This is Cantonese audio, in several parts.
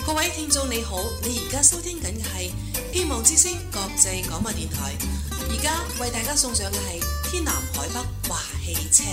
各位聽眾你好，你而家收聽緊嘅係希望之聲國際廣播電台，而家為大家送上嘅係天南海北華汽車。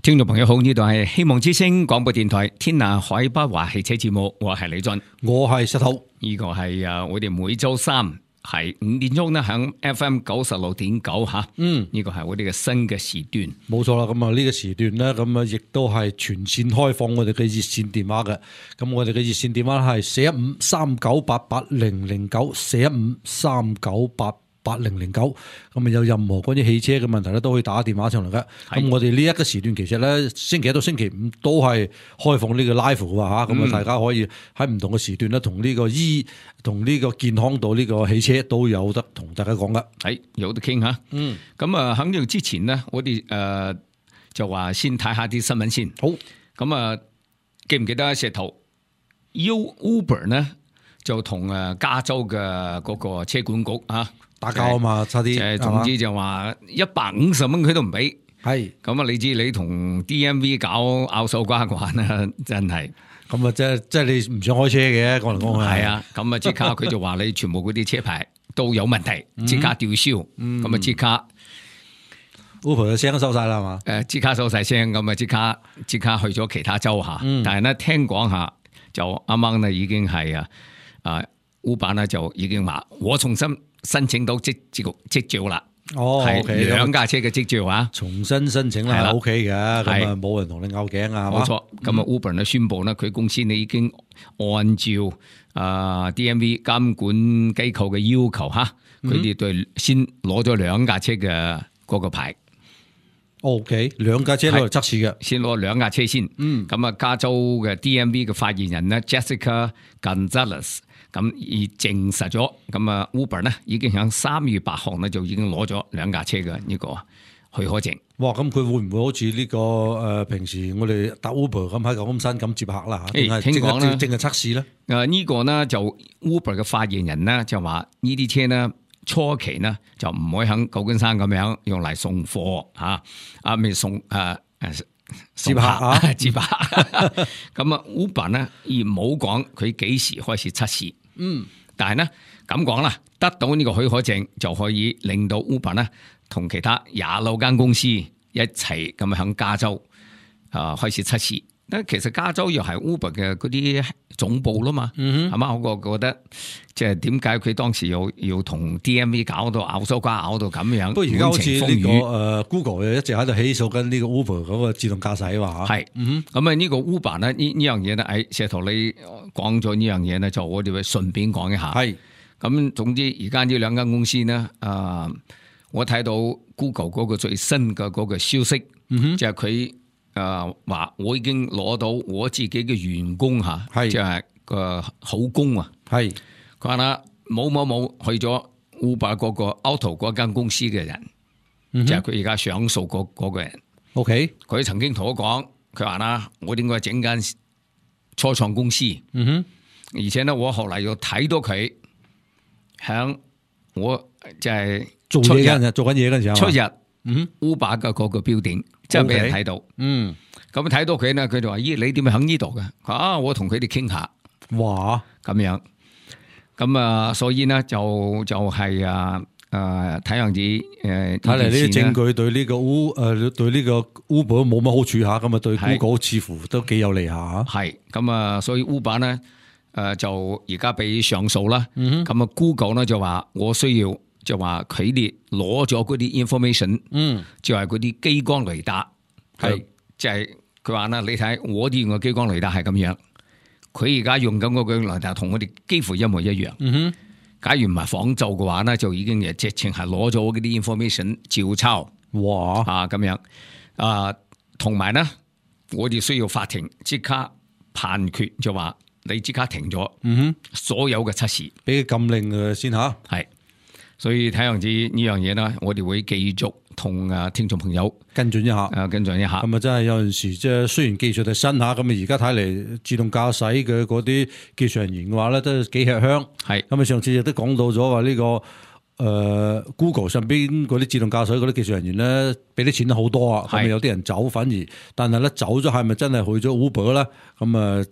聽眾朋友好，呢度係希望之聲廣播電台天南海北華汽車節目，我係李俊，我係石頭，呢個係我哋每周三係5點鐘咧響 FM 96.9吓，呢個係我哋嘅新嘅時段，冇錯啦。咁啊呢個時段咧，咁啊亦都係全線開放我哋嘅熱線電話嘅。咁我哋嘅熱線電話係415-3988-0090，415-3988-0090。咁啊有任何關於汽車嘅問題咧，都可以打電話上嚟嘅。咁我哋呢一個時段其實咧，星期一到星期五都係開放呢個 live 嘅吓。咁啊大家可以喺唔同嘅時段咧，同呢個同呢個健康到呢個汽車都有得同大家講噶。係有得傾吓。咁啊喺呢度之前呢，我哋就話先睇下啲新聞先。好。咁啊記唔記得石頭 Uber 呢就同加州嘅嗰個車管局打交啊嘛，差啲。總之就話150蚊佢都唔俾。係。咁啊，你知你同 DMV 搞拗手瓜慣啊，真係。咁啊，即係你唔想開車嘅，講嚟講去。係啊，咁啊即刻佢就話你全部嗰啲車牌都有問題，即刻吊銷。咁啊即刻 Uber 嘅聲都收晒啦，係嘛？即刻收晒聲，咁啊即刻去咗其他州下。但係咧聽講下就啱啱咧已經係Uber 咧就已經話我重新申請到執照啦。係兩架車嘅執照啊，重新申請啦，係 OK 嘅，咁啊冇人同你拗頸啊，冇錯。咁啊 Uber 咧宣布咧，佢公司呢已經按照DMV 監管機構嘅要求吓，佢哋對先攞咗兩架車嘅嗰個牌。OK， 兩架車攞嚟測試嘅，先攞兩架車先。咁啊加州嘅 DMV 嘅發言人咧 Jessica Gonzalez。咁而證實咗，咁啊 Uber 咧已經喺3月8號咧就已經攞咗兩架車嘅呢個許可證。哇！咁佢會唔會好似呢個平時我哋搭 Uber 咁喺舊金山咁接客啦嚇？聽講咧，淨係測試咧？呢個呢就 Uber 嘅發言人呢就話呢啲車呢初期呢就唔可以喺舊金山咁樣用嚟送貨未送接客啊，接客。咁啊 Uber 呢而冇講佢幾時開始測試。但係呢咁講啦，得到呢個許可證就可以令到 Uber 呢同其他26間公司一齊咁喺加州開始測試。其實加州又係 Uber 嘅嗰啲總部啦嘛，係嘛？我覺得即係點解佢當時要同 DMV 搞到拗手瓜拗到咁樣？不過而家好似呢個Google 一直喺度起訴緊呢個 Uber 嗰個自動駕駛話嚇。係，咁啊呢個 Uber 呢樣嘢咧，石頭你講咗呢樣嘢咧，就我哋會順便講一下。係，咁總之而家呢兩間公司呢，我睇到 Google 嗰個最新嘅嗰個消息，就係佢。話我已經攞到我自己嘅員工吓，即係個口供啊。係佢話啦，冇去咗 Uber 嗰個 Auto 嗰間公司嘅人，即係佢而家上訴嗰個人。OK， 佢曾經同我講，佢話啦，我應該整間初創公司。而且咧，我後嚟又睇到佢響我即係做緊嘢嗰陣時候，出日。Uber 嘅嗰個標點，即係俾人睇到。咁睇到佢咧，佢就話：咦，你點解喺呢度嘅？我同佢哋傾下。哇，咁樣。咁所以呢，就係睇樣子睇嚟呢啲證據對呢個對呢個 Uber 冇乜好處下，咁啊對 Google 似乎都幾有利下。係咁所以 Uber 呢就而家俾上訴啦。咁Google 呢就話我需要。就話佢哋攞咗嗰啲 information，就係嗰啲激光雷達，係即係佢話啦，你睇我哋用嘅激光雷達係咁樣，佢而家用緊嗰個雷達同我哋幾乎一模一樣。假如唔係仿造嘅話咧，就已經直情係攞咗嗰啲 information 照抄。哇！咁樣同埋咧，我哋需要法庭即刻判決，就話你即刻停咗，所有嘅測試，俾佢禁令先吓。係。所以睇樣子呢樣嘢啦，我哋會繼續同聽眾朋友跟進一下。咁啊，真係有陣時即係雖然技術係新下，咁啊而家睇嚟自動駕駛嘅嗰啲技術人員嘅話咧，都幾吃香。係咁啊，上次亦都講到咗話呢個Google 上邊嗰啲自動駕駛嗰啲技術人員咧，俾啲錢都好多啊。咁啊有啲人走，但係咧走咗係咪真係去咗 Uber 咧？咁啊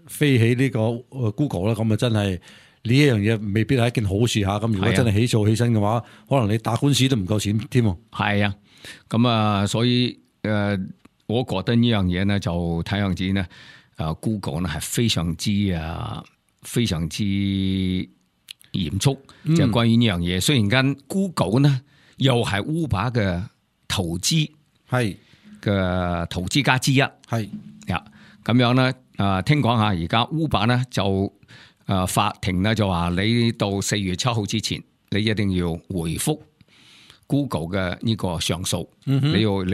飛起呢個Google 啦，咁啊真係呢一樣嘢未必係一件好事嚇。咁如果真係起訴起身嘅話，可能你打官司都唔夠錢添。係啊，咁啊，所以我覺得呢樣嘢呢，就睇樣子呢，Google 呢係非常之嚴肅，就關於呢樣嘢。雖然間 Google 呢又係 Uber 嘅投資家之一，係呀，咁樣咧，聽講下而家 Uber 咧就法庭咧就話你到4月7號之前，你一定要回覆 Google 嘅呢個上訴，你要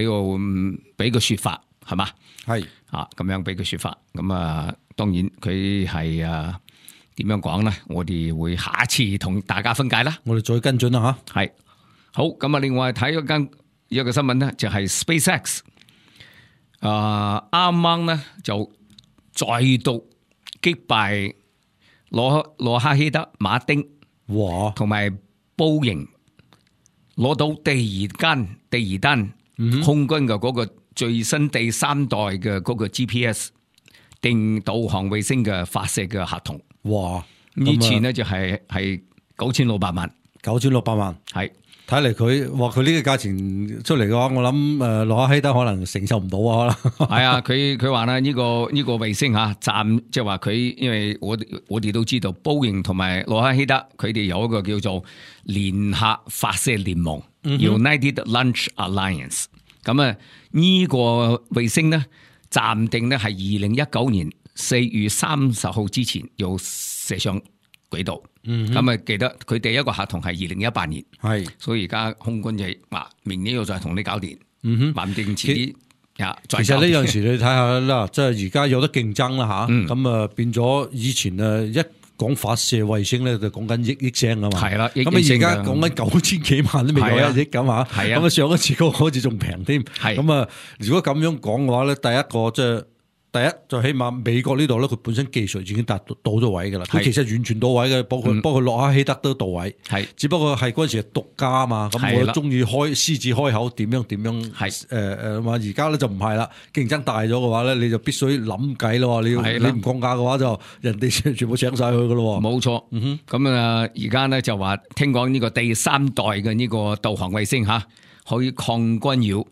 俾個說法係嘛？係啊，咁樣俾個說法。咁當然佢係點樣講咧？我哋會下一次同大家分解啦。我哋再跟進啦吓。係好，咁另外睇一個新聞咧，就係 SpaceX。啱啱咧就再度擊敗羅克希德馬丁，同埋波音攞到第二單空軍嘅嗰個最新第3代嘅嗰個 GPS 定導航衛星嘅發射嘅合同。哇！呢次呢就係9600萬，9600萬係。睇嚟佢呢個價錢出嚟嘅話，我諗羅克希德可能承受唔到啊！可能係啊，佢話咧呢個衛星暫即係話佢，因為我哋都知道，波音同埋羅克希德佢哋有一個叫做聯合發射聯盟，United Launch Alliance。咁呢個衛星呢，暫定呢係2019年4月30號之前要射上軌道。咁記得佢第一個合同係2018年，係，所以而家空軍就話明年要再同你搞掂，話定遲啲其實呢樣時你睇下啦，即係而家有得競爭啦吓，咁變咗以前一講發射衛星咧就講緊億聲啊嘛，係啦，咁而家講緊9000幾萬都未夠1億咁啊，咁上一次嗰個好似仲平添，咁如果咁樣講嘅話咧，第一就起碼美國呢度咧，佢本身技術已經達到咗位噶啦，佢其實完全到位嘅，包括洛克希德都到位，只不過係嗰陣時係獨家啊嘛，咁我中意獅子開口點樣，話而家咧就唔係啦，競爭大咗嘅話咧，你就必須諗計咯，你唔降價嘅話就人哋全部請晒去噶咯，冇錯，咁而家咧就話聽講呢個第3代嘅呢個導航衛星可以抗干擾。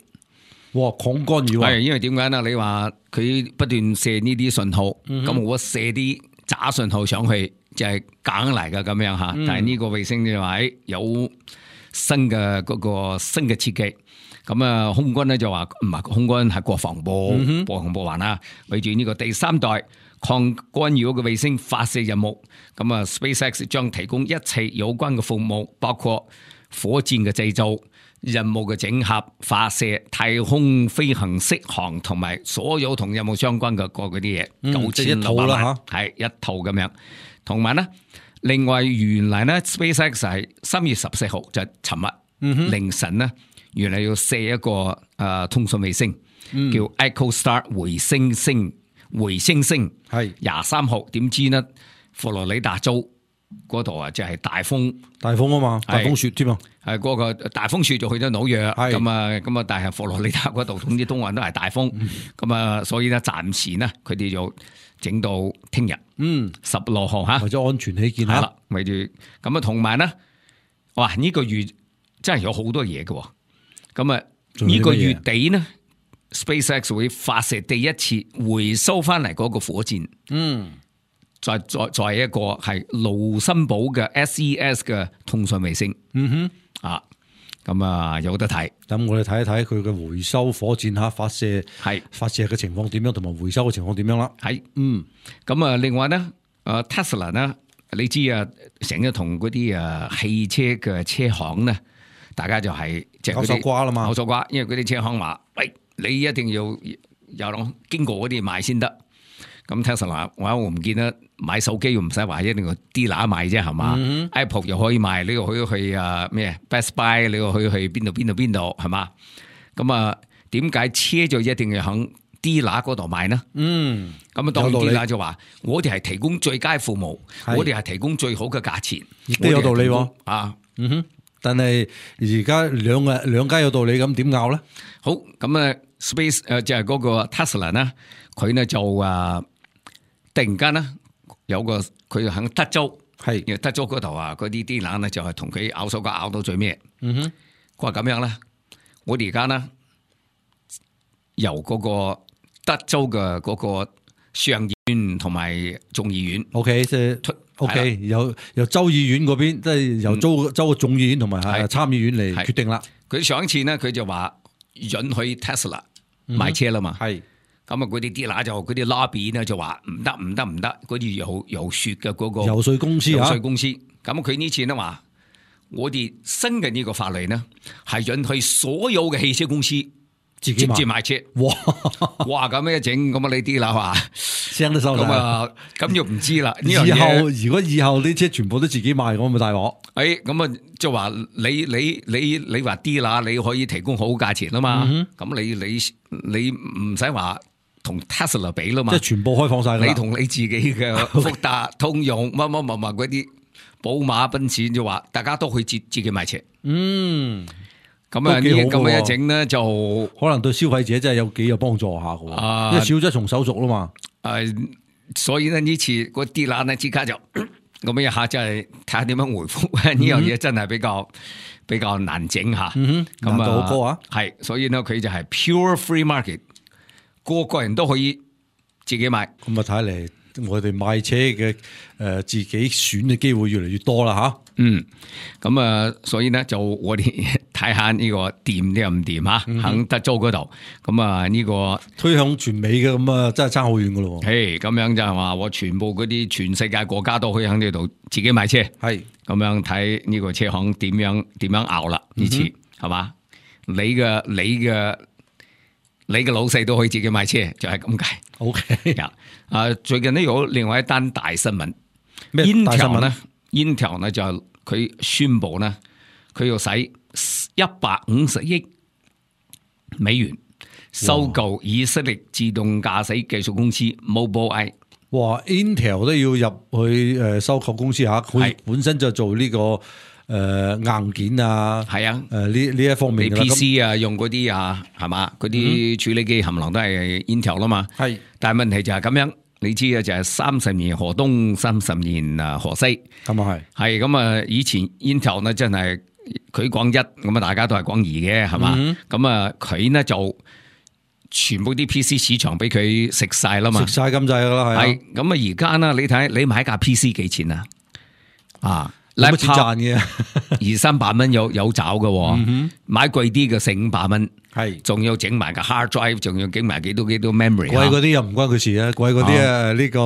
哇！抗干擾係，因為點解呢？你話佢不斷射呢啲信號，咁我射啲假信號上去就係假嚟噶咁樣吓。但係呢個衛星就話有新嘅設計，咁空軍咧就話唔係空軍係國防部話啦，為住呢個第3代抗干擾嘅衛星發射任務，咁SpaceX 將提供一切有關嘅服務，包括火箭嘅製造、任務嘅整合、發射、太空飛行適航同埋所有同任務相關嘅嗰啲嘢，9600萬係一套咁樣。同埋呢，另外原來呢 SpaceX 係3月14號就尋日凌晨呢，原來要射一個通訊衛星，叫 EchoStar 回星星係23號，點知呢佛羅里達州嗰度就係大風啊嘛，大風雪添啊，係嗰個大風雪就去咗紐約，咁啊，但係佛羅里達嗰度總之東岸都係大風，咁所以咧暫時呢佢哋就整到聽日，16號吓，為咗安全起見係啦，為住咁同埋呢，哇呢個月真係有好多嘢嘅，咁呢個月底呢 SpaceX 會發射第一次回收翻嚟嗰個火箭，再一個係盧森堡嘅 SES 嘅通訊衛星，咁有得睇。咁我哋睇一睇佢嘅回收火箭發射嘅情況點樣，同埋回收嘅情況點樣啦。咁另外咧，Tesla 呢，你知成日同嗰啲汽車嘅車行咧，大家就係即係口手瓜啦嘛，口手瓜，因為嗰啲車行話，喂，你一定要有經過嗰啲買先得。咁 Tesla 我唔見得買手機唔使話一定要 dealer 買啫，係嘛？Apple 又可以賣，你又可以去咩 Best Buy， 你又可以去邊度係嘛？咁點解車就一定要響 dealer 嗰度買呢？咁當然 dealer 就話我哋係提供最佳服務，我哋係提供最好嘅價錢，都有道理但係而家兩家有道理，咁點拗咧？好，咁Space 就係嗰個 Tesla 呢，佢呢就突然間咧有個佢喺德州，係因為德州嗰度啊，嗰啲啲冷咧就係同佢咬手咬到最尾。嗯哼，佢話咁樣咧，我哋而家咧由嗰個德州嘅嗰個上議院同埋眾議院 ，OK， 即係 OK，由州議院嗰邊，即係由州嘅眾議院同埋參議院嚟決定啦。佢上一次咧，佢就話允許 Tesla 買車啦嘛。係咁啊，嗰啲啲乸就嗰啲 lobby 咧就話唔得，嗰啲有雪嘅嗰個游說公司啊，游說公司。咁佢呢次咧話，我哋新嘅呢個法例呢，係允許所有嘅汽車公司直接賣車。哇咁樣一整，咁啊你啲啦話聲都收晒。咁啊，咁就唔知啦。以後如果以後啲車全部都自己賣，咁咪大鑊。咁啊，就話你話啲啦，你可以提供好價錢啊嘛。咁你唔使話同 Tesla 比啦嘛。即係全部開放晒啦。你同你自己嘅福特、通用乜嗰啲寶馬、奔馳就話，大家都可以自己買車。咁啊，咁樣一整咧，就可能對消費者真係幾有幫助下嘅，因為少咗一重手續啦嘛。所以呢次個啲啦呢，即刻就咁一下，真係睇下點樣回覆呢樣嘢，真係比較難整下。難度好高啊！係，所以呢，佢就係 pure free market， 個人都可以自己買。咁啊，睇嚟我哋買車嘅自己選嘅機會越嚟越多啦吓。咁啊，所以呢，就我哋睇下呢個掂定唔掂吓，喺德州嗰度。咁啊，呢個推向全美嘅，咁啊，真係差好遠噶咯。咁樣就係話我全部嗰啲全世界國家都可以喺呢度自己買車。係咁樣睇呢個車行點樣熬啦？呢次係嘛？你嘅老細都可以自己買車，就係咁解。OK，最近呢有另外一單大新聞，咩大新聞咧？Intel 呢就佢宣布呢，佢要使150億美元收購以色列自動駕駛技術公司 Mobileye。哇 ！Intel 都要入去收購公司吓，佢本身就做呢個硬件啊，係啊，呢一方面你 PC 啊用嗰啲啊係嘛，嗰啲處理機冚唪唥都係 Intel 啦嘛。係，但係問題就係咁樣。你知啊，就係30年河東，30年河西，咁啊係咁啊！以前 Intel 呢真係佢講一，咁啊大家都係講二嘅，係嘛？咁啊佢呢就全部啲 PC 市場俾佢食晒啦嘛，食晒咁滯噶啦，係。咁啊而家呢，你睇你買架 PC 幾錢啊？冇乜錢賺嘅，200-300蚊有找嘅，買貴啲嘅400-500蚊。係，仲要整埋個 hard drive， 仲要整埋幾多 memory。貴嗰啲又唔關佢事啊，貴嗰啲呢個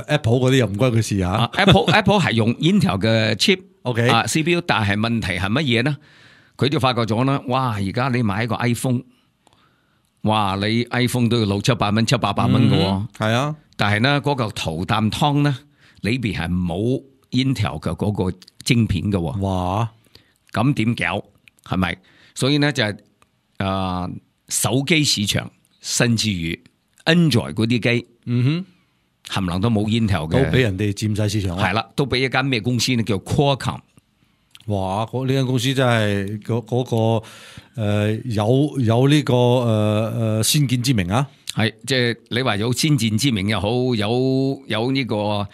Apple 嗰啲又唔關佢事啊。Apple 係用 Intel 嘅 chip，OK CPU， 但係問題係乜嘢呢？佢就發覺咗啦，哇！而家你買一個 iPhone， 哇！你 iPhone 都要600-700蚊、700-800蚊嘅，係啊。但係呢嗰嚿頭啖湯呢，裏邊係冇 Intel 嘅嗰個晶片嘅。哇！咁點搞？係咪？所以呢就係。手機市場甚至於 Android 嗰啲機，冚唪唥都冇 Intel 嘅，都俾人哋佔晒市場。係啦，都俾一間咩公司呢？叫 Qualcomm。哇！呢間公司真係嗰個有呢個先見之明啊！係即係你話有先見之明又好，有呢個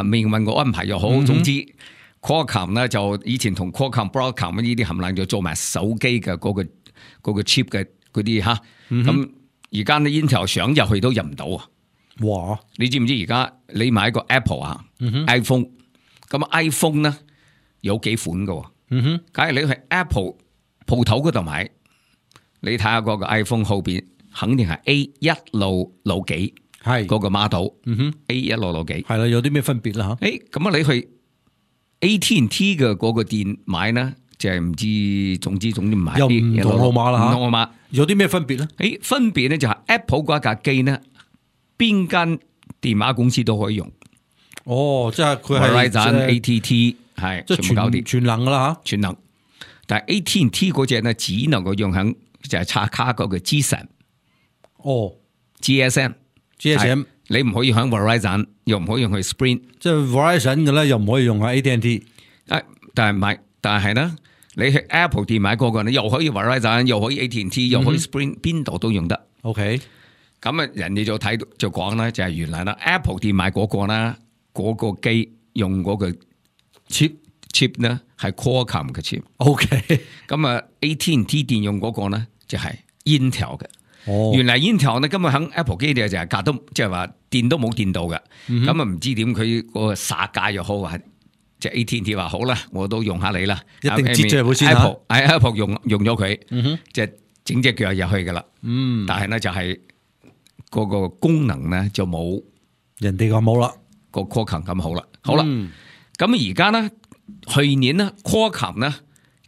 命運嘅安排又好，總之 Qualcomm 呢就以前同 Qualcomm、Broadcom 呢啲冚唪唥就做埋手機嘅嗰個 chip 嘅嗰啲吓，咁而家呢 Intel 想入去都入唔到啊！哇！你知唔知而家你買個 Apple 啊、iPhone， 咁 iPhone 呢有幾款噶？假如你去 Apple 鋪頭嗰度買，你睇下嗰個 iPhone 後邊肯定係 A166幾，係嗰個 model，A166幾，係啦，有啲咩分別啦吓？咁啊你去 AT&T 嘅嗰個店買呢？就係唔知，總之唔係又唔同號碼啦吓，唔同號碼有啲咩分別咧？分別咧就係 Apple 嗰架機呢，邊間電話公司都可以用。哦，即係佢係 AT&T 係即係全部搞掂，全能噶啦吓，全能。但係 AT&T 嗰隻呢，只能夠用喺就係插卡嗰個 GSM。哦 ，GSM，你唔可以喺 Verizon， 又唔可以用去 Sprint。即係 Verizon 嘅咧，又唔可以用喺 AT&T。但係呢。你去 Apple 店買嗰個，你又可以 Verizon， 又可以 AT&T， 又可以 Sprint，邊度都用得。OK，咁啊，人哋就睇到就講咧，就係原來啦 ，Apple 店買嗰個啦，嗰個機用嗰個 chip 咧係 Qualcomm 嘅 chip。OK， 咁啊 AT&T 電用嗰個咧就係 Intel 嘅。哦，原來 Intel 咧根本喺 Apple 機就係隔都即係話電都冇電到嘅。咁啊唔知點佢個殺價又好啊，即係 AT&T 話好啦，我都用下你啦，一定接咗入去先 Apple 用咗佢，即係整隻腳入去噶啦。但係咧就係嗰個功能咧就冇人哋咁冇啦，個 Qualcomm 咁好啦。好啦，咁而家咧去年咧 Qualcomm 咧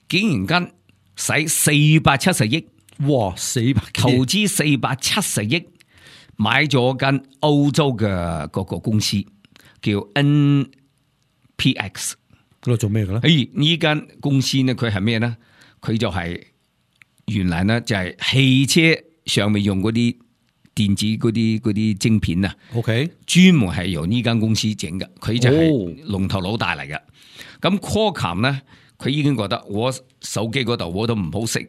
竟然間使470億。哇，400投資470億買咗間歐洲嘅嗰個公司叫 NPX， 嗰度做咩嘅咧？呢間公司呢，佢係咩咧？佢就係原來咧就係汽車上面用嗰啲電子嗰啲晶片啊。OK， 專門係由呢間公司整嘅，佢就係龍頭老大嚟嘅。咁 Qualcomm 咧。佢已經覺得我手機嗰度我都唔好食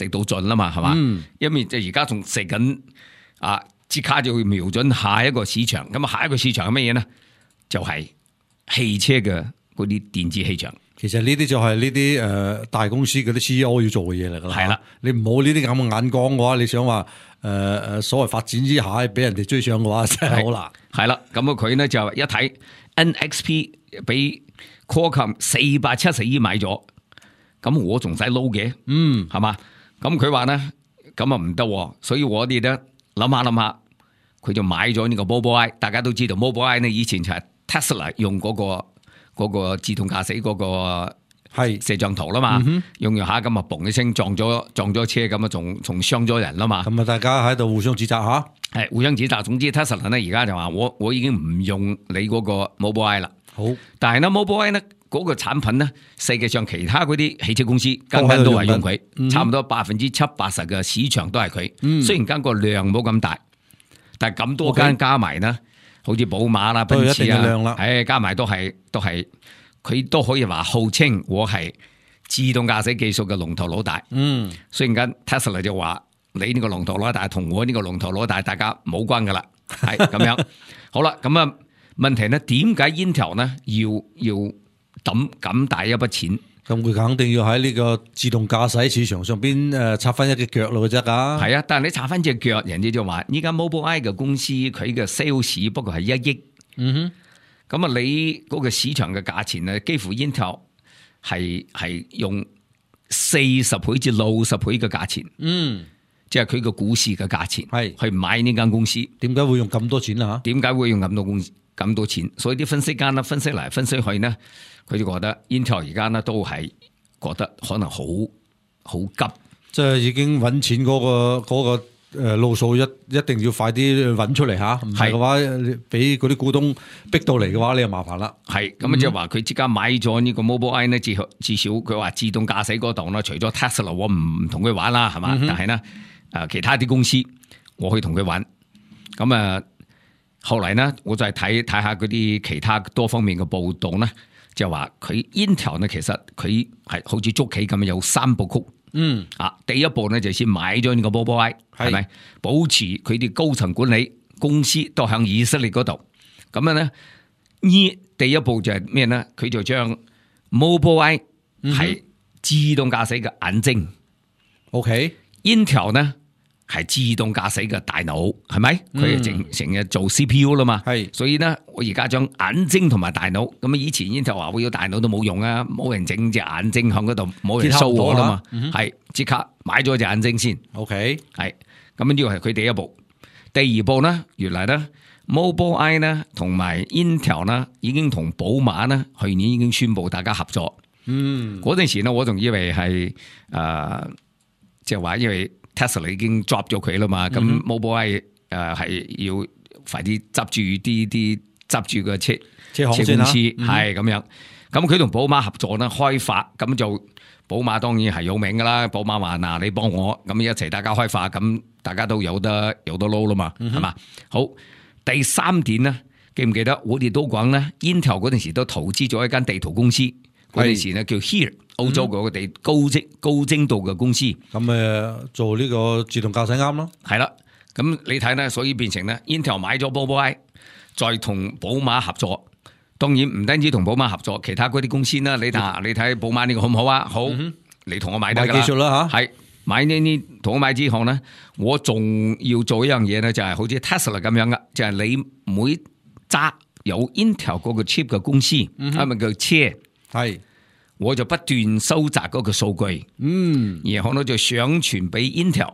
到盡啦嘛，係嘛？因為就而家仲食緊啊，即刻就會瞄準下一個市場。咁啊，下一個市場係乜嘢呢？就係汽車嘅嗰啲電子氣場。其實呢啲就係呢啲大公司嗰啲 CEO 要做嘅嘢嚟㗎啦。係啦，你唔好呢啲咁嘅眼光嘅話，你想話所謂發展之下俾人哋追上嘅話，真係好難。係啦，咁啊佢呢就一睇 NXP 俾Qualcomm 470億買咗，咁我仲使撈嘅，係嘛？咁佢話咧，咁啊唔得，所以我哋咧諗下，佢就買咗呢個 Mobileye。大家都知道 Mobileye 呢以前就係 Tesla 用嗰個自動駕駛嗰個係攝像頭啦嘛，用下咁啊嘣一聲撞咗車，咁啊仲傷咗人啦嘛。咁啊大家喺度互相指責吓，係互相指責。總之 Tesla 咧而家就話我已經唔用你嗰個 Mobileye 啦。好，但係咧 Mobileye 咧嗰個產品咧，世界上其他嗰啲汽車公司間間都係用佢，差唔多70%-80% 嘅市場都係佢。雖然間個量冇咁大，但係咁多間加埋咧，好似寶馬啦、奔馳啊，加埋都係佢都可以話號稱我係自動駕駛技術嘅龍頭老大。雖然間 Tesla 就話你呢個龍頭老大同我呢個龍頭老大大家冇關噶啦，係咁樣。好啦，咁啊。問題呢？點解 Intel 呢要抌咁大一筆錢？咁佢肯定要喺呢個自動駕駛市場上邊插翻一隻腳咯，啫噶。係啊，但係你插翻隻腳，人哋就話依家 Mobileye 嘅公司佢嘅 sales 不過係1億。咁啊，你嗰個市場嘅價錢呢，幾乎 Intel 係用40倍至60倍嘅價錢。即係佢個股市嘅價錢係去買呢間公司。點解會用咁多錢啊？點解會用咁多錢？所以啲分析家呢，分析嚟分析去呢，佢就覺得 Intel 而家呢都係覺得可能好急，即係已經揾錢嗰個路數一定要快啲揾出嚟吓，唔係嘅話俾嗰啲股東逼到嚟嘅話，你就麻煩啦。係咁即係話佢即刻買咗呢個 Mobileye 呢，至少佢話自動駕駛嗰度呢，除咗 Tesla 我唔同佢玩啦，係嘛？但係呢。其他啲公司我去同佢玩，咁啊後嚟呢，我就係睇下嗰啲其他多方面嘅報道呢，就話佢 Intel 呢，其實佢係好似捉棋咁有3部曲。第一步呢，就先買咗呢個 Mobileye，係咪保持佢啲高層管理公司都響以色列嗰度？咁樣呢，第一步就係咩呢？佢就將 Mobileye 係自動駕駛嘅眼睛。OK。Intel 呢係自動駕駛嘅大腦，係咪？佢成日做 CPU 啦嘛，所以呢，我而家將眼睛同埋大腦，咁啊以前 Intel 話會有大腦都冇用啊，冇人整隻眼睛響嗰度，冇人 show 我啦嘛，係即刻買咗隻眼睛先。OK， 係咁呢個係佢第一步。第二步呢，原來呢 Mobileye 呢同埋 Intel 呢已經同寶馬呢去年已經宣布大家合作。嗰陣時呢，我仲以為係即係話，因為 Tesla 已經 drop 咗佢啦嘛，咁 Mobileye 係要快啲執住個車公司係咁樣。咁佢同寶馬合作咧開發，咁就寶馬當然係有名噶啦。寶馬話嗱，你幫我咁一齊大家開發，咁大家都有得撈啦嘛，係嘛？好，第3點呢，記唔記得我哋都講咧 Intel 嗰陣時都投資咗一間地圖公司，嗰陣時咧叫 Here。澳洲嗰個地高精度嘅公司，咁做呢個自動駕駛啱咯，係啦。咁你睇咧，所以變成咧 Intel 買咗 Mobileye，再同寶馬合作。當然唔單止同寶馬合作，其他嗰啲公司啦，你睇寶馬呢個好唔好啊？好，你同我買得㗎啦。買技術啦嚇，係買呢同我買之後咧，我仲要做一樣嘢咧，就係好似 Tesla 咁樣嘅，就係你每揸有 Intel 嗰個 chip 嘅公司，係咪叫車？係，我就不斷收集嗰個數據，然後咧就上傳俾 Intel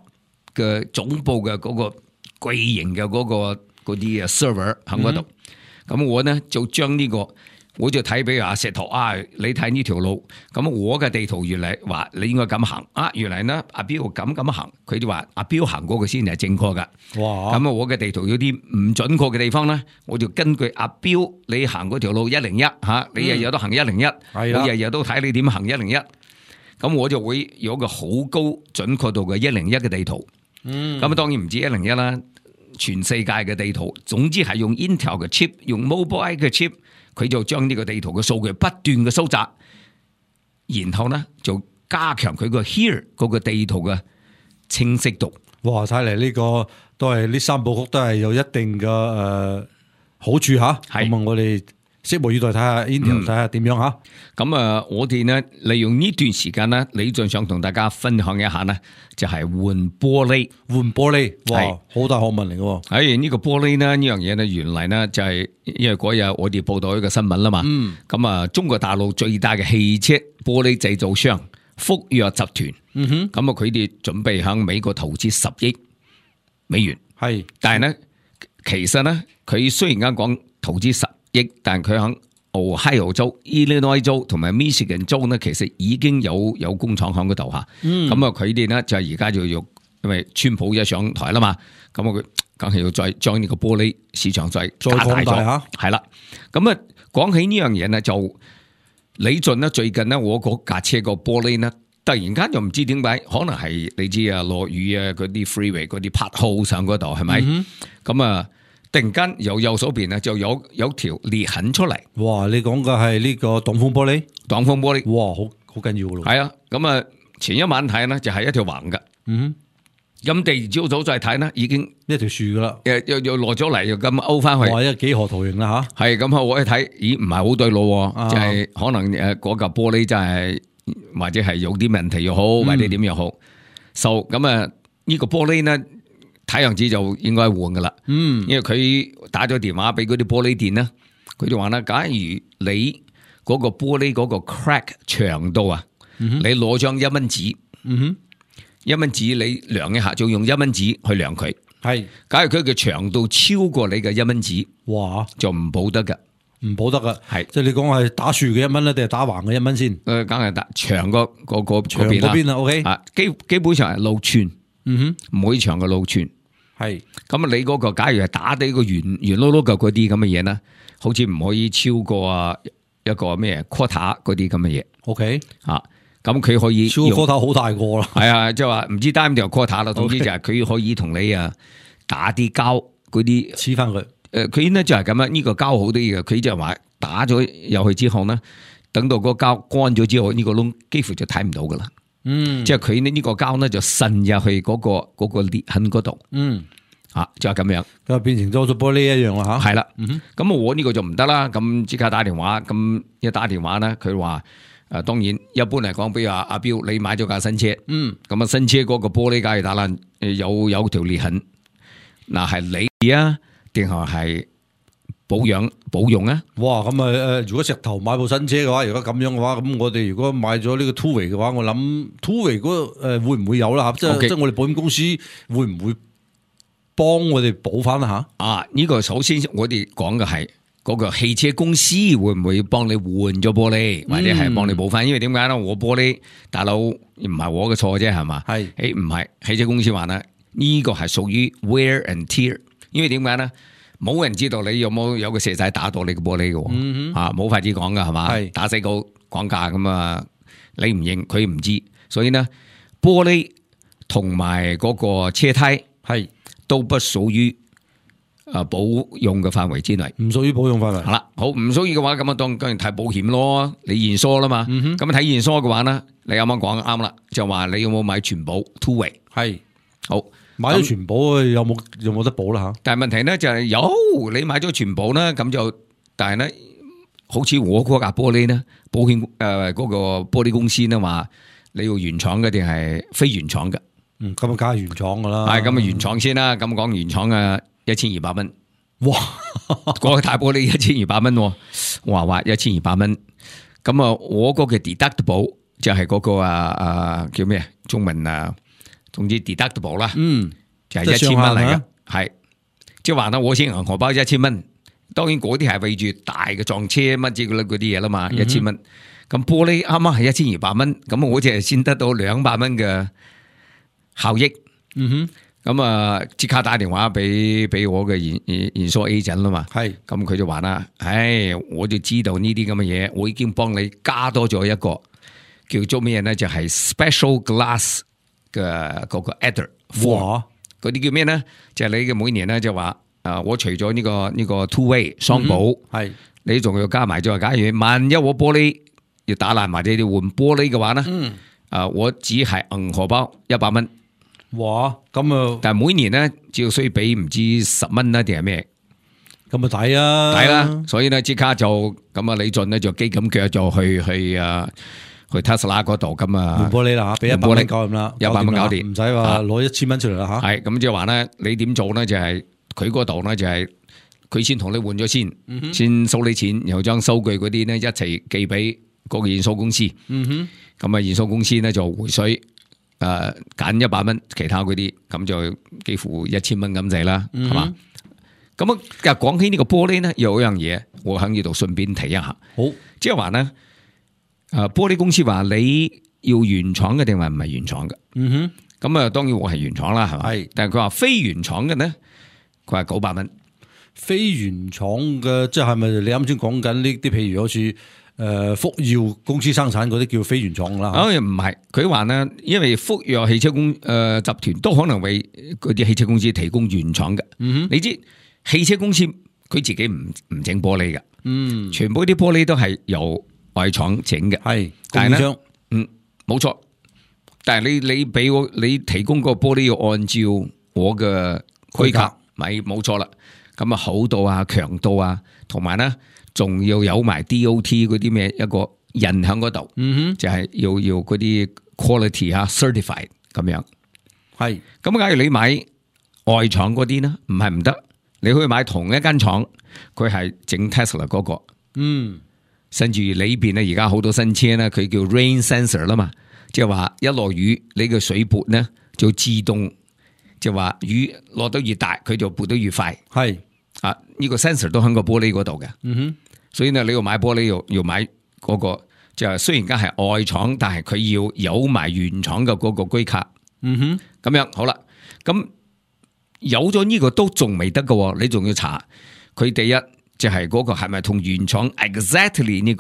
嘅總部嘅嗰個巨型嘅嗰啲 server 喺嗰度。咁我呢就將呢個，我就睇俾阿石頭啊，你睇呢條路，咁我嘅地圖原來話你應該咁行啊，原來呢阿標咁行，佢就話阿標行嗰個先係正確噶。哇！咁我嘅地圖有啲唔準確嘅地方呢，我就根據阿標你行嗰條路101吓，你日日都行101，我日日都睇你點行101，咁我就會有個好高準確度嘅101嘅地圖。咁當然唔止101啦。全世界嘅地圖，總之係用 Intel 嘅 chip， 用 Mobileye 嘅 chip， 佢就將呢個地圖嘅數據不斷嘅收集，然後呢就加強佢個 here 嗰個地圖嘅清晰度。哇！睇嚟呢個都係呢三部曲都係有一定嘅好處吓。咁我哋拭目以待，睇下 Intel 睇下點樣吓。咁我哋呢利用呢段時間呢，李俊想同大家分享一下呢，就係換玻璃。哇，好大學問嚟嘅。喺呢個玻璃呢樣嘢呢，原來呢就係因為嗰日我哋報道一個新聞啦嘛。咁中國大陸最大嘅汽車玻璃製造商福耀集團，咁佢哋準備向美國投資10億美元。但係呢，其實呢，佢雖然啱講投資10億，但係佢響Ohio 州、Illinois 州同埋 Michigan 州呢，其實已經有工廠喺嗰度吓。咁佢哋呢就係而家就要，因為川普一上台啦嘛，咁佢梗係要再將呢個玻璃市場再加大咗吓。係啦，咁講起呢樣嘢呢，就李俊呢最近呢，我嗰架車個玻璃呢，突然間又唔知點解，可能係你知啊，落雨啊，嗰啲 freeway 嗰啲 pothole 上嗰度係咪？咁突然間由右手邊就有條裂痕出嚟。哇！你講嘅係呢個擋風玻璃？擋風玻璃。哇！好緊要噶咯。係啊，咁前一晚睇呢就係一條橫嘅。咁第二朝早再睇呢，已經一條樹噶啦。又落咗嚟，又咁勾翻去。哇！一個幾何圖形啦吓。係咁我一睇，咦唔係好對路，就係可能嗰嚿玻璃真係或者係有啲問題又好，或者點又好。咁呢個玻璃呢？睇樣子就應該換噶啦，因為佢打咗電話俾嗰啲玻璃店啦，佢就話啦，假如你嗰個玻璃嗰個 crack 長度啊，你攞張1蚊紙，1蚊紙你量一下，就用1蚊紙去量佢，係，假如佢嘅長度超過你嘅1蚊紙，哇，就唔保得噶，唔保得噶，係，即係你講係打豎嘅1蚊咧，定係打橫嘅1蚊先？梗係打長個長嗰邊啦，OK，啊，基本上係路寸。唔可以長嘅路寸，係咁你嗰個假如係打啲個圓碌碌嘅嗰啲咁嘅嘢咧，好似唔可以超過一個咩 quarter 嗰啲咁嘅嘢。OK，咁佢可以超 quarter 好大個啦。係啊，即係話唔知單條 quarter 啦，總之就係佢可以同你打啲膠嗰啲黐翻佢。佢呢就係咁樣，呢個膠好啲嘅，佢就係話打咗入去之後呢，等到個膠乾咗之後，呢個窿幾乎就睇唔到噶啦。即係佢呢個膠呢就滲入去嗰個裂痕嗰度，就係咁樣，咁變成咗玻璃一樣啦吓。係啦，咁我呢個就唔得啦，咁即刻打電話，咁一打電話呢，佢話當然一般嚟講，比如話阿標你買咗架新車，咁新車嗰個玻璃假如打爛，有條裂痕，嗱係你啊，定係保用啊？哇！咁如果石頭買部新車嘅話，如果咁樣嘅話，咁我哋如果買咗呢個 Two-way 嘅話，我諗 Two-way 嗰會唔會有啦？即係我哋保險公司會唔會幫我哋補翻吓？呢個首先我哋講嘅係嗰個汽車公司會唔會幫你換咗玻璃，或者係幫你補翻？因為點解咧？我玻璃大佬唔係我嘅錯啫，係嘛？係唔係汽車公司話咧？呢個係屬於 wear and tear， 因為點解咧？冇人知道你有個蛇仔打到你個玻璃嘅，冇法子講噶係嘛？打死個講價咁啊，你唔認佢唔知，所以呢，玻璃同埋嗰個車胎係都不屬於保用嘅範圍之內，唔屬於保用範圍。係啦，好唔屬於嘅話，咁啊當然睇保險咯，你驗疏啦嘛。咁睇驗疏嘅話呢，你啱啱講啱啦，就話你有冇買全保 Two-way 係好。買咗全保有冇得保啦吓？但係問題咧就係你買咗全保啦，咁就但係咧，好似我嗰架玻璃咧，保險嗰個玻璃公司咧話你要原廠嘅定係非原廠嘅？咁啊，梗係原廠噶啦。係咁啊，原廠先啦。咁講原廠啊，1200蚊。哇！嗰個大玻璃1200蚊，話1200蚊。咁啊，我嗰個 deductible 就係嗰個叫咩中文總之 deductible 啦，就係1000蚊嚟嘅，係即係話啦，我先銀荷包1000蚊，當然嗰啲係為住大嘅撞車乜之類嗰啲嘢啦嘛，1000蚊。咁玻璃啱啱係1200蚊，咁我只係先得到200蚊嘅效益。咁啊，即刻打電話俾我嘅驗收 agent 啦嘛，係，咁佢就話啦，我就知道呢啲咁嘅嘢，我已經幫你加多咗一個叫做咩咧，就係 special glass 嘅嗰個 adder， 嗰啲叫咩咧？就係你嘅每年咧就話，我除咗呢個 two way 雙保，係，你仲要加埋咗，假如萬一我玻璃要打爛或者要換玻璃嘅話咧，我只係銀荷包100蚊。哇，咁啊！但係每年咧，只要需要俾唔知10蚊啦，定係咩？咁啊抵啊！抵啦，所以咧即刻就咁啊，李俊咧就機咁腳就去 Tesla 嗰度咁啊，換玻璃啦吓，俾100蚊搞掂啦，100蚊搞掂，唔使話攞1000蚊出嚟啦吓。係咁即係話咧，你點做咧？就係佢嗰度咧就係佢先同你換咗先，先收你錢，然後將收據嗰啲咧一齊寄俾嗰個驗收公司。咁啊，驗收公司咧就回水。揀100蚊，其他嗰啲咁就幾乎1000蚊咁滯啦，係嘛？咁啊，講起呢個玻璃咧，有一樣嘢我喺呢度順便提一下。好，即係話咧，玻璃公司話你要原廠嘅定係唔係原廠嘅？咁啊，當然我係原廠啦，係嘛？係，但係佢話非原廠嘅咧，佢話900蚊。非原廠嘅，即係咪你啱先講緊呢啲？譬如好似。福耀公司生產嗰啲叫非原廠啦，唔係，佢話咧，因為福耀汽車集團都可能為嗰啲汽車公司提供原廠嘅。你知汽車公司佢自己唔整玻璃嘅，全部啲玻璃都係由外廠整嘅，係供應商，冇錯。但係你俾我，你提供個玻璃要按照我嘅規格，咪冇錯啦。咁啊，厚度啊，強度啊，同埋咧。仲要有埋 DOT 嗰啲咩一個印喺嗰度，就係要嗰啲 quality certified 咁樣。係咁，假如你買外廠嗰啲呢，唔係唔得，你可以買同一間廠，佢係整 Tesla 嗰個。甚至裏邊咧，而家好多新車咧，佢叫 rain sensor 啦嘛，即係話一落雨，你嘅水撥呢就自動，即係話雨落得越大，佢就撥得越快。係。呢個 sensor 都喺個玻璃嗰度嘅，所以呢，你要買玻璃要買嗰個，就係雖然間係外廠，但係佢要有埋原廠嘅嗰個規格。咁樣好啦，咁有咗呢個都仲未得嘅，你仲要查佢第一就係嗰個係咪同原廠 exactly 呢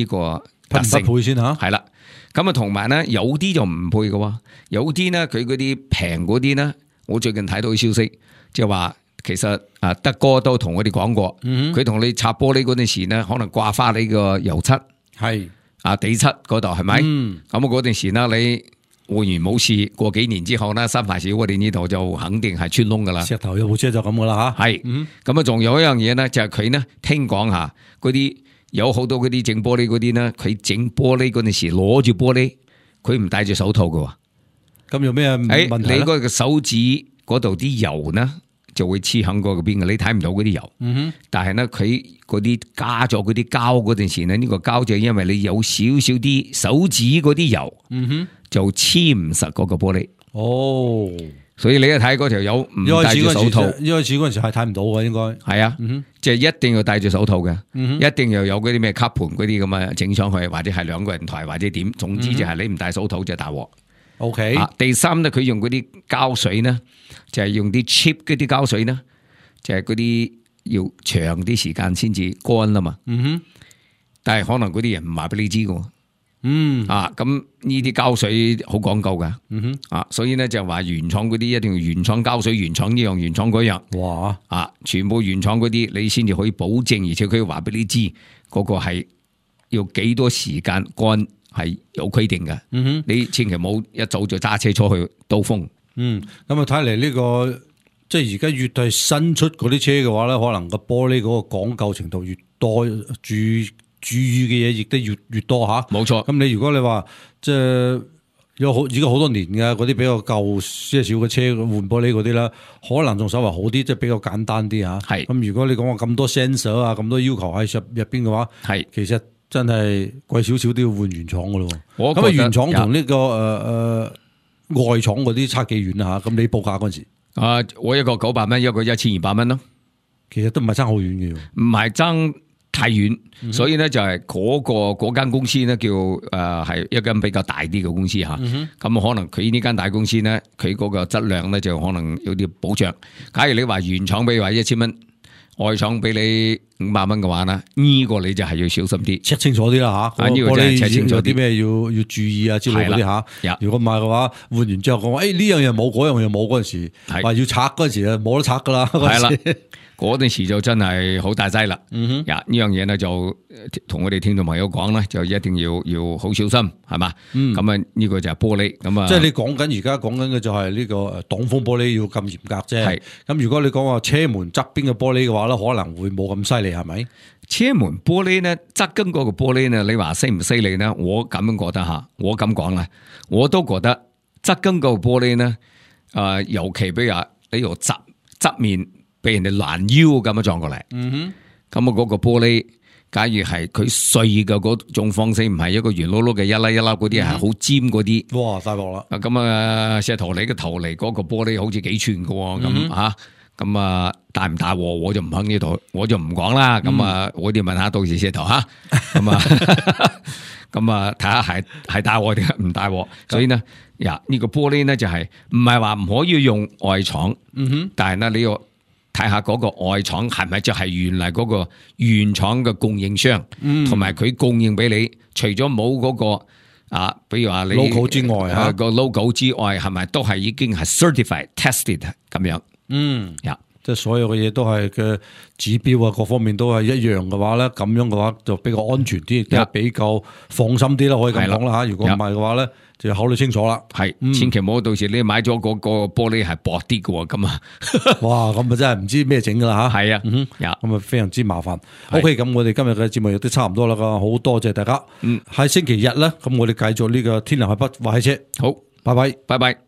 個特性配先吓，係啦。咁啊，同埋咧有啲就唔配嘅，有啲咧佢嗰啲平嗰啲咧，我最近睇到消息，即係話。其實德哥都同我哋講過，佢同你拆玻璃嗰陣時呢，可能掛花你個油漆，係地漆嗰度係咪？咁嗰陣時呢，你換完冇事，過幾年之後呢，三藩市我哋呢度就肯定係穿窿噶啦。石頭有部車就咁噶啦吓，係咁啊，仲有一樣嘢呢，就係佢呢聽講下嗰啲有好多嗰啲整玻璃嗰啲呢，佢整玻璃嗰陣時攞住玻璃，佢唔戴住手套噶。咁有咩問題？你嗰個手指嗰度啲油呢？就會黐喺嗰邊嘅，你睇唔到嗰啲油。但係咧，佢嗰啲加咗嗰啲膠嗰陣時咧，呢個膠就因為你有少少啲手指嗰啲油，就黐唔實嗰個玻璃。哦，所以你一睇嗰條友唔戴住手套，一開始嗰陣時係睇唔到嘅，應該係啊，即係一定要戴住手套嘅，一定要有嗰啲咩吸盤嗰啲咁啊整上去，或者係兩個人抬或者點，總之就係你唔戴手套就大鑊。OK，第三咧，佢用嗰啲膠水呢，就係用啲 cheap 嗰啲膠水呢，就係嗰啲要長啲時間先至乾啦嘛。但係可能嗰啲人唔話俾你知嘅。咁呢啲膠水好講究噶。所以呢，就話原廠嗰啲一定要原廠膠水，原廠呢樣，原廠嗰樣。哇！全部原廠嗰啲你先至可以保證，而且佢話俾你知嗰個係要幾多時間乾。係有規定嘅，你千祈唔好一早就揸車出去兜風。咁啊睇嚟呢個即係而家越係新出嗰啲車嘅話咧，可能個玻璃嗰個講究程度越多，注意嘅嘢亦都越多吓。冇錯。咁你如果你話即係已經好多年嘅嗰啲比較舊些少嘅車換玻璃嗰啲啦，可能仲稍微好啲，即係比較簡單啲吓。係。咁如果你講話咁多 sensor 啊，咁多要求喺入邊嘅話，係其實真係貴少少都要換原廠噶咯。咁啊原廠同呢個外廠嗰啲差幾遠啊吓？咁你報價嗰陣時，我一個900蚊，一個1200蚊咯。其實都唔係爭好遠嘅，唔係爭太遠，所以咧就係嗰間公司咧叫係一間比較大啲嘅公司吓。咁可能佢呢間大公司咧，佢嗰個質量咧就可能有啲保障。假如你話原廠俾話1000蚊，外廠俾你500蚊嘅話咧，呢個你就係要小心啲check 清楚啲啦吓。呢個真係 check 清楚啲，有啲咩要注意啊之類嗰啲吓。如果唔係嘅話，換完之後講話，呢樣嘢冇，嗰樣嘢冇嗰陣時，話要拆嗰陣時啊，冇得拆噶啦。係啦。嗰陣時就真係好大劑啦，呢樣嘢咧就同我哋聽眾朋友講咧，就一定要好小心，係嘛？咁啊呢個就係玻璃，咁啊，即係你講緊而家講緊嘅就係呢個擋風玻璃要咁嚴格啫。係咁，如果你講話車門側邊嘅玻璃嘅話咧，可能會冇咁犀利，係咪？車門玻璃咧，側跟嗰個玻璃咧，你話犀唔犀利咧？我咁樣覺得吓，我咁講啦，我都覺得側跟嗰個玻璃咧，尤其比如話你由側面。俾人哋攔腰咁樣撞過嚟，咁啊嗰個玻璃，假如係佢碎嘅嗰種方式，唔係一個圓碌碌嘅一粒一粒嗰啲，係好尖嗰啲，哇大鑊啦！咁啊石頭你嘅頭嚟嗰個玻璃好似幾寸嘅，咁吓，咁啊大唔大鑊我就唔喺呢度，我就唔講啦。咁啊我哋問下到時石頭吓，咁啊咁啊睇下係大鑊定係唔大鑊。所以呢，呢個玻璃呢就係唔係話唔可以用外廠，但係呢你要睇下嗰個外廠係咪就係原來嗰個原廠嘅供應商，同埋佢供應俾你，除咗冇嗰個比如話你 logo 之外個 logo 之外，係咪都係已經係 certified tested 咁樣？即係所有嘅嘢都係嘅指標啊，各方面都係一樣嘅話咧，咁樣嘅話就比較安全啲，亦都比較放心啲啦，可以咁講啦吓。如果唔係嘅話咧，就要考慮清楚啦。係，千祈唔好到時你買咗嗰個玻璃係薄啲嘅咁啊！哇，咁啊真係唔知咩整噶啦吓。係啊，咁啊非常之麻煩。OK，咁我哋今日嘅節目亦都差唔多啦，好多謝大家。喺星期日咧，咁我哋繼續呢個天南海北話汽車。好，拜拜，拜拜。